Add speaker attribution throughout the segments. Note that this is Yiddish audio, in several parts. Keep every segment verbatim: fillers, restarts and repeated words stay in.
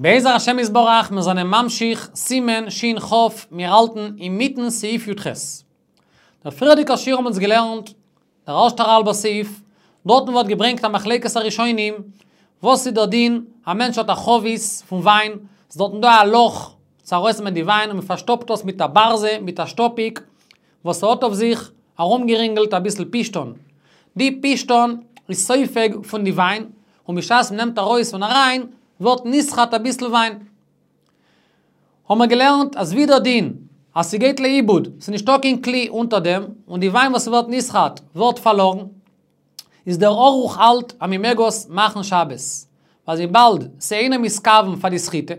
Speaker 1: בעזר השם יתברך, מיר זענען ממשיך, סימן שין כף, מיר האלטן אינמיטן סעיף י"ח. דער פריערדיגער שיעור האבן אונז געלערנט, דער ערשטער האלבער סעיף, דארטן ווערט געברענגט א מחלוקת הראשונים, וואס איז דער דין, א מענטש האט א חבית פון וויין, ס'איז דארטן דא א לאך צו ארויסנעמען די וויין און מען פארשטאפט דאס מיט א ברזע, מיט א שטאפיק, וואס האט אויף זיך ארומגערינגלט אביסל פשתן. די פשתן איז סופג פון די וויין, און בשעת מ'נעמט ארויס און אריין, ווערט נסחט אביסל וויין. האבן מיר געלערנט אז ווי דער דין אז ס'גייט לאיבוד, ס'איז נישטא קיין כלי אונטער דעם, און די וויין וואס ווערט נסחט ווערט פארלארן, איז דער ערוך האלט אז מ'מעג עס מאכן שבת, ווייל וויבאלד ס'אינו מתכוון פאר די סחיטה,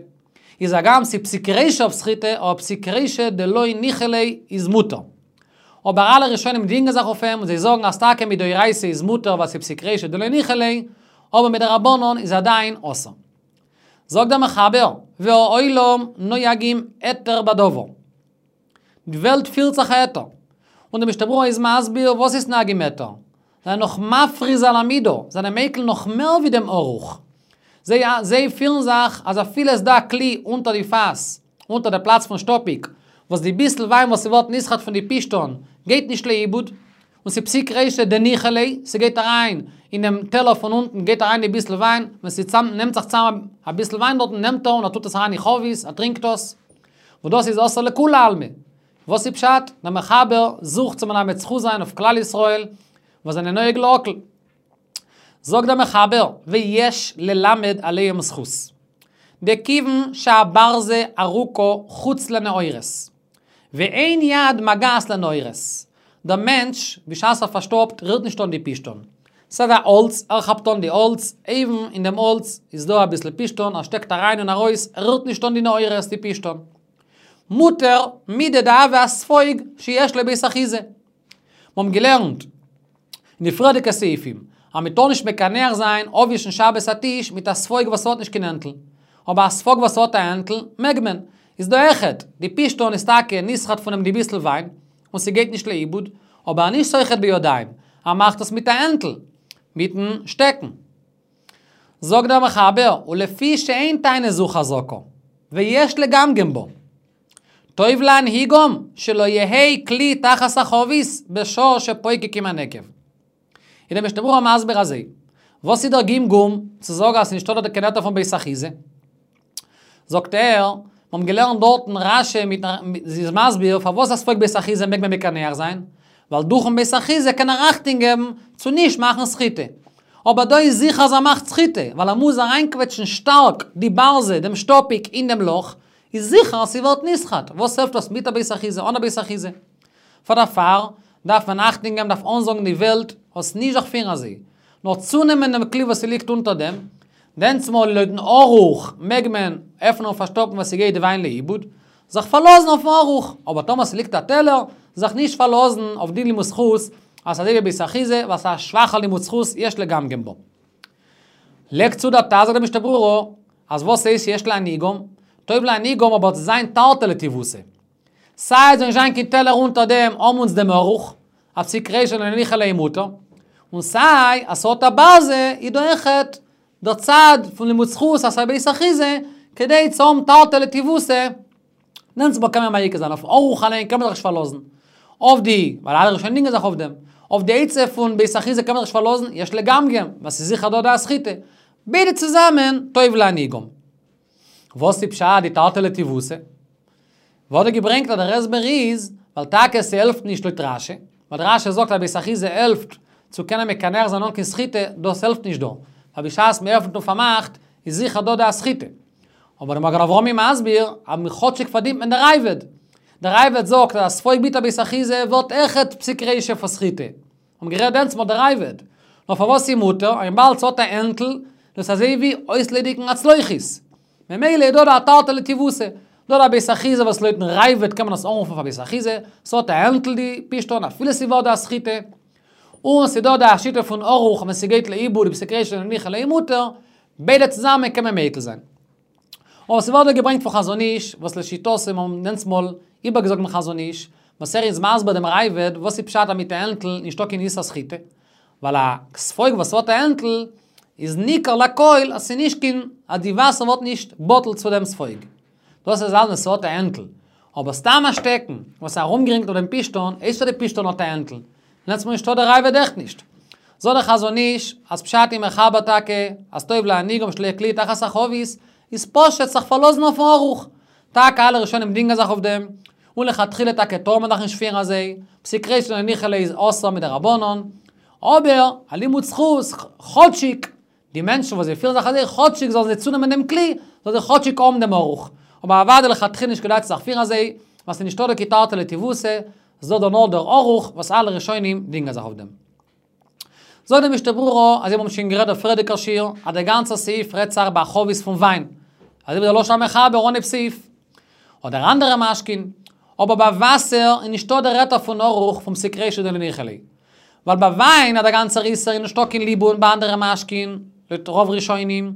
Speaker 1: איז הגם ס'איז פסיק רישא אויף סחיטה, אבער פסיק רישא דלא ניחא ליה איז מותר. אבער אלע ראשונים דינגען זיך אויף אים און זיי זאגן אז טאקע מדאורייתא איז מותר ווייל ס'איז פסיק רישא דלא ניחא ליה, אבער מדרבנן איז עדיין אסור. זאגט דער מחבר, והעולם נוהגים היתר בדבר. די וועלט פירט זיך א היתר. און דער משנה ברורה איז מסביר וואס איז נוהגים היתר. זיי זענען נאך מפריז על המידה, זענען מיקל נאך מער ווי דעם ערוך. זיי זיי פירן זיך אז אפילו עס דא א כלי אונטער די פאס, אונטער די פלאץ פון שטאפיק, וואס די ביסל וויין וואס ס'ווערט נסחט פון די פשתן גייט נישט לאיבוד, און ס'פסיק רישא דניחא ליה, ס'גייט אריין אינעם טעלער פון אונטן גייט אריין די ביסל וויין, ווען ס'נעמט זיך צאם אביסל וויין דארטן נעמט ער און ער טוט עס אריין אין חבית, ער טרינקט עס, וואס דאס איז אסור לכולי עלמא. וואס איז פשט? דער מחבר זוכט צו מלמד זכות זיין אויף כלל ישראל וואס זענען נוהג להקל. זאגט דער מחבר, ויש ללמד עליהם זכות. דכיוון שהברזה ארוכה חוץ לנעורת, ואין יד מגעת לנעורת. דער מענטש, בשעת ער פארשטאפט, רירט נישט אן די פשתן. ס'איז א האלץ, ער כאפט אן די האלץ, אויבן אין דעם האלץ איז דא אביסל פשתן, ער שטעקט אריין און ארויס, ער רירט נישט אן די נעורת, די פשתן. מותר מידי דהוה אספוג שיש לו בית אחיזה. מיר האבן געלערנט אין די פריערדיגע סעיפים אז מען טאר נישט מקנח זיין אפווישן שבת א טיש מיט א ספוג וואס האט נישט קיין הענטל, אבער א ספוג וואס האט א הענטל מעג מען. איז דא אויכעט, די פשתן איז טאקע נסחט פון דעם די ביסל וויין, און ס'גייט נישט לאיבוד, אבער נישט סוחט בידיים, ער מאכט עס מיט א הענטל, מיטן שטעקן. זאגט דער מחבר, ולפי שאין טענה זו חזקה, ויש לגמגם בו. טוב להנהיגם שלא יהא כלי תחת החבית בשעה שפוקקים הנקב. איז דער משנה ברורה מסביר אזוי, וואס איז דער גמגום צו זאגן אז ס'נישטא דארט קיין היתר פון בית אחיזה? זאגט ער, מיר האבן געלערנט דארטן רש"י מיט איז מסביר פארוואס א ספוג בית אחיזה מעג מען מקנח זיין, ווייל דורכן בית אחיזה קען ער אכטונג געבן צו נישט מאכן סחיטה. אבער דא איז זיכער אז ער מאכט סחיטה, ווייל ער מוז אריינקוועטשן שטארק די ברזע, דעם שטאפיק, אין דעם לאך, איז זיכער אז ס'ווערט נסחט, וואס העלפט דאס מיט א בית אחיזה, אן א בית אחיזה? פאר דערפאר דארף מען אכטונג געבן, דארף אנזאגן די וועלט, אז נישט זיך פירן אזוי, נאר צונעמען דעם כלי וואס ס'ליגט אונטער דעם, דענסמאל לויטן ערוך מעג מען עפענען און פארשטאפן וואס ס'גייט די וויין לאיבוד, זיך פארלאזן אויפן ערוך, אבער טאמער ס'ליגט א טעלער, זיך נישט פארלאזן אויף די לימוד זכות, אז ס'אזוי ווי בית אחיזה, ווייל ס'איז א שוואכע לימוד זכות, יש לגמגם בו. לייגט צו דער ט"ז זאגט דער משנה ברורה, אז וואס הייסט יש להנהיגם? טוב להנהיגם אבער צו זיין תרתי לטיבותא. סיי עס זאל נישט זיין קיין טעלער אונטער דעם האבן אונז דעם ערוך, אז פסיק רישא דלא ניחא ליה מותר, און סיי אז ס'האט א ברזע איז דא אויכעט דער צד פון לימוד זכות אז ס'איז א בית אחיזה, כדי צו האבן תרתי לטיבותא, דענסמאל קען מען מיקל זיין אויף ערוך אליין קען מען זיך נישט פארלאזן, אויף די, ווייל אלע ראשונים דינגען זיך אויף דעם, אויף די עצה פון בית אחיזה קען מען זיך נישט פארלאזן, יש לגמגם, ווייל ס'איז זיכער דא די סחיטה. ביידע צוזאמען, טוב להנהיגם. וואס איז פשט די תרתי לטיבותא? ווערט דא געברענגט אז דער הסבר איז, ווייל טאקע ס'העלפט נישט לויט רש"י, ווייל רש"י זאגט אז בית אחיזה העלפט צו קענען מקנח זיין אן קיין סחיטה, דאס העלפט נישט דא, ווייל בשעת מ'עפנט און פארמאכט איז זיכער דא די סחיטה. אבער דער מגן אברהם איז מסביר אז כאטשיג פארדינט מען דער ראב"ד. דער ראב"ד זאגט אז א ספוג מיט א בית אחיזה ווערט אויכעט פסיק רישא פאר סחיטה. האבן גערעדט דענסמאל דער ראב"ד. נאר פארוואס איז מותר? וויבאלד ס'האט א הענטל, דאס אזוי ווי אויסליידיגן א צלוחית. ממילא איז דא דא א תרתי לטיבותא. דא דא בית אחיזה וואס לויטן ראב"ד קען מען עס אנרופן פאר בית אחיזה, ס'האט א הענטל די פשתן אפילו ס'ווערט דא א סחיטה. און ס'דא דא א שיטה פון ערוך ווען ס'גייט לאיבוד פסיק רישא דלא ניחא ליה מותר, ביידע צוזאמען קען מען מיקל זיין. אבער ס'ווערט דא געברענגט פון חזון איש, וואס לשיטתו האבן דענסמאל איבערגעזאגט דעם חזון איש, וואס ער איז מסביר דעם ראב"ד וואס איז פשט אז מיט א הענטל נישטא קיין איסור סחיטה, ווייל א ספוג וואס האט א הענטל איז ניכר לכל, אז ס'נישט קיין, אז די וואסער ווערט נישט בטל צו דעם ספוג. דאס איז אלץ ווען ס'האט א הענטל. אבער סתם א שטעקן, וואס איז ארומגערינגלט אויף דעם פשתן, איידער די פשתן האט א הענטל. דענסטמאל נישטא דער ראב"ד אויכעט נישט. זאגט דער חזון איש, אז פשט אין מחבר טאקע, אז טוב להנהיגם שלא יהא כלי תחת החבית, איז פשוט זיך פארלאזן אויפן ערוך. טאקע אלע ראשונים דינגען זיך אויף דעם, און לכתחילה טאקע טאר מען דאך נישט פירן אזוי, פסיק רישא דלא ניחא ליה איז אסור מדרבנן, אבער א לימוד זכות, כאטשיג די מענטשן וואס זיי פירן זיך אזוי, כאטשיג זאלן זיי צונעמען דעם כלי, זאלן זיי כאטשיג האבן דעם ערוך. אבער אוודאי לכתחילה נישט כדאי צו זיך פירן אזוי, ווייל ס'איז נישטא דא קיין תרתי לטיבותא, ס'איז דא נאר דער ערוך וואס אלע ראשונים דינגען זיך אויף דעם. זאגט דער משנה ברורה, אזוי ווי מיר האבן שוין גערעדט דער פריערדיגער שיעור, אז דער גאנצער סעיף רעדט זיך ביי א חבית פון וויין. אזוי ווי דער לשון המחבר אנהייב סעיף. אדער אנדערע משקין. אבער ביי וואסער איז נישטא דער היתר פון ערוך פון פסיק רישא דלא ניחא ליה. ווייל ביי וויין אז דער גאנצער איסור איז נישטא קיין ליבון ביי אנדערע משקין, לויט רוב ראשונים.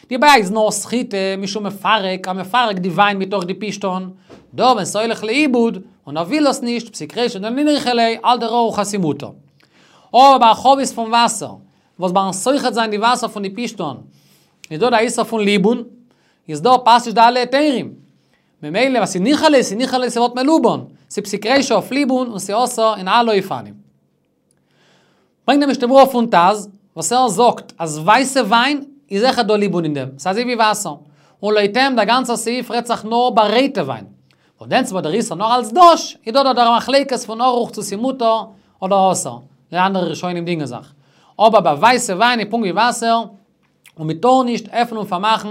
Speaker 1: די בעיה איז נאר סחיטה משום מפרק, אז מפרק די וויין מתוך די פשתן. דא ווען ס'הולך לאיבוד, און ער וויל עס נישט, פסיק רישא דלא ניחא ליה, האלט דער ערוך אז ס'מותר. אבער ביי א חבית פון וואסער, וואס ביים סוחט זיין די וואסער פון די פשתן, איז דא די איסור פון ליבון, איז דא פאסט נישט די אלע היתרים. ממילא וואס איז ניחא ליה, ס'איז ניחא ליה ס'ווערט מלובן, ס'איז פסיק רישא אויף ליבון און ס'איז אסור אין אלע אופנים. ברענגט דער משנה ברורה פון ט"ז, וואס ער זאגט אז ווייסע וויין איז אויכעט דא ליבון אין דעם, ס'איז אזוי ווי וואסער. און לויט אים דער גאנצער סעיף רעדט זיך נאר ביי רויטע וויין. און דענסטמאל דער איסור נאר אלס דש, איז דא דער מחלוקת פון ערוך צו ס'מותר אדער אסור. די אנדערע ראשונים דינגען זיך. אבער ביי ווייסע וויין איז פונקט ווי וואסער, און מען טאר נישט עפענען און פארמאכן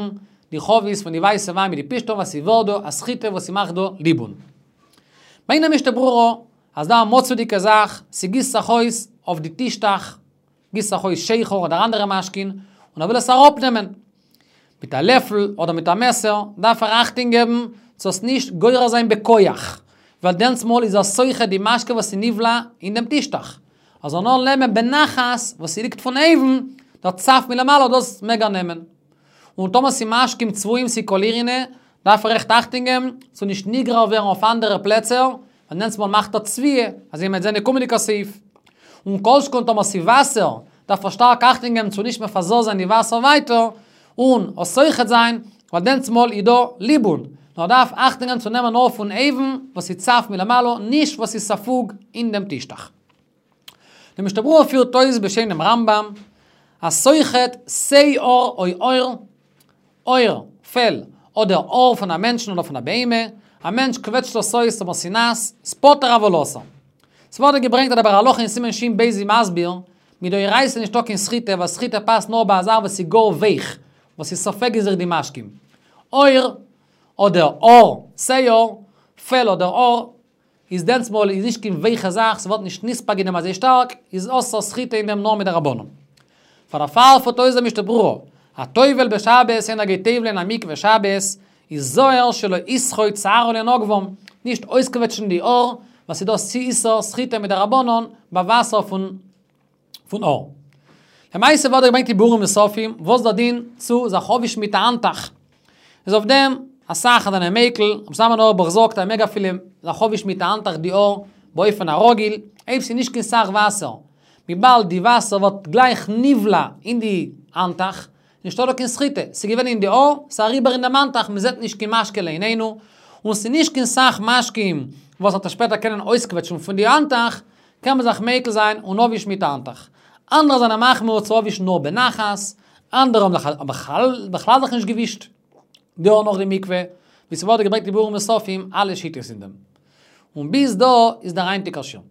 Speaker 1: די חבית פון די ווייסע וויין מיט די פשתן ווייל ס'ווערט דא א סחיטה וואס ס'מאכט דא ליבון. ברענגט דער משנה ברורה אז דא א מצוי'דיגע זאך, ס'גיסט זיך אויס אויף די טישטעך, גיסט זיך אויס שכר אדער אנדערע משקין, און ער וויל עס אראפנעמען מיט א לעפל אדער מיט א מעסער, דארף ער אכטונג געבן צו עס נישט גורר זיין בכח, ווייל דענסטמאל איז ער סוחט די משקה וואס איז נבלע אין דעם טישטעך. ער זאל נאר נעמען בנחת וואס ס'ליגט פון אויבן, דער צף מלמעלה דאס מעג ער נעמען. און טאמער ס'איז משקים צבועים ס'איז קאלירינע, דארף ער עכט אכטונג געבן צו נישט נגרר ווערן אויף אנדערע פלעצער, ווייל דענסטמאל מאכט ער צביעה, אזוי מ'וועט זען אין קומענדיגע סעיף. און כל שכן טאמער ס'איז וואסער, דארף ער שטארק אכטונג געבן צו נישט מפזר זיין די וואסער ווייטער, און עס סוחט זיין, ווייל דענסטמאל איז דא ליבון. נאר ער דארף אכטונג געבן צו נעמען נאר פון אויבן וואס איז צף מלמעלה, נישט וואס איז ספוג אין דעם טישטעך. דער משנה ברורה פירט אויס בשם דעם רמב"ם, הסוחט שעור או עור, עור, פעל, אדער האר פון א מענטשן אדער פון א בהמה, א מענטש קוועטשט עס אויס אבער ס'איז נאס, איז פטור אבל אסור. ס'ווערט דא געברענגט אז דער ביאור הלכה אין סימן ש"ב איז מסביר, מדאורייתא איז נישטא קיין סחיטה, ווייל סחיטה פאסט נאר ביי א זאך וואס איז גאר ווייך, וואס איז סופג אין זיך די משקים. עור, אדער האר, שעור, פעל אדער האר, איז דענסמאל איז נישט קיין ווייכע זאך, ס'ווערט נישט נספג אין דעם אזוי שטארק, איז אסור סחיטה אין דעם נאר מדרבנן. פאר דערפאר פירט אויס דער משנה ברורה, הטובל בשבת איינער גייט טובל'ען אין א מקווה שבת, איז זהיר שלא יסחוט שערו לנגבם, נישט אויסקוועטשן די האר, ווייל ס'איז דא איסור סחיטה מדרבנן ביי וואסער פון פון האר. למעשה ווערט דא געברענגט אין ביאורים נוספים, וואס דער דין צו זיך אפווישן מיט א האנטוך. איז אויף דעם אסאך זענען מיקל, רבי זלמן אויערבאך זאגט אז מ'מעג אפילו זיך אפווישן מיט א האנטוך די האר באופן הרגיל, אויב ס'איז נישט קיין סך וואסער, וויבאלד די וואסער ווערט גלייך נבלע אין די האנטוך, נישטא דא קיין סחיטה, ס'איז געווען אין די האר, ס'איז אריבער אין דעם האנטוך, מ'זעט נישט קיין משקה לעינינו, און ס'איז נישט קיין סך משקים וואס וועט ער שפעטער קענען אויסקוועטשן פון די האנטוך, קען מען זיך מיקל זיין און אפווישן מיט א האנטוך. אנדערע זענען מחמיר צו אפווישן נאר בנחת, אנדערע האבן זיך בכלל זיך נישט געווישט די האר נאך די מקווה, ווי ס'ווערט געברענגט אין ביאורים נוספים אלע שיטות אין דעם. און ביז דא איז דער היינטיגער שיעור.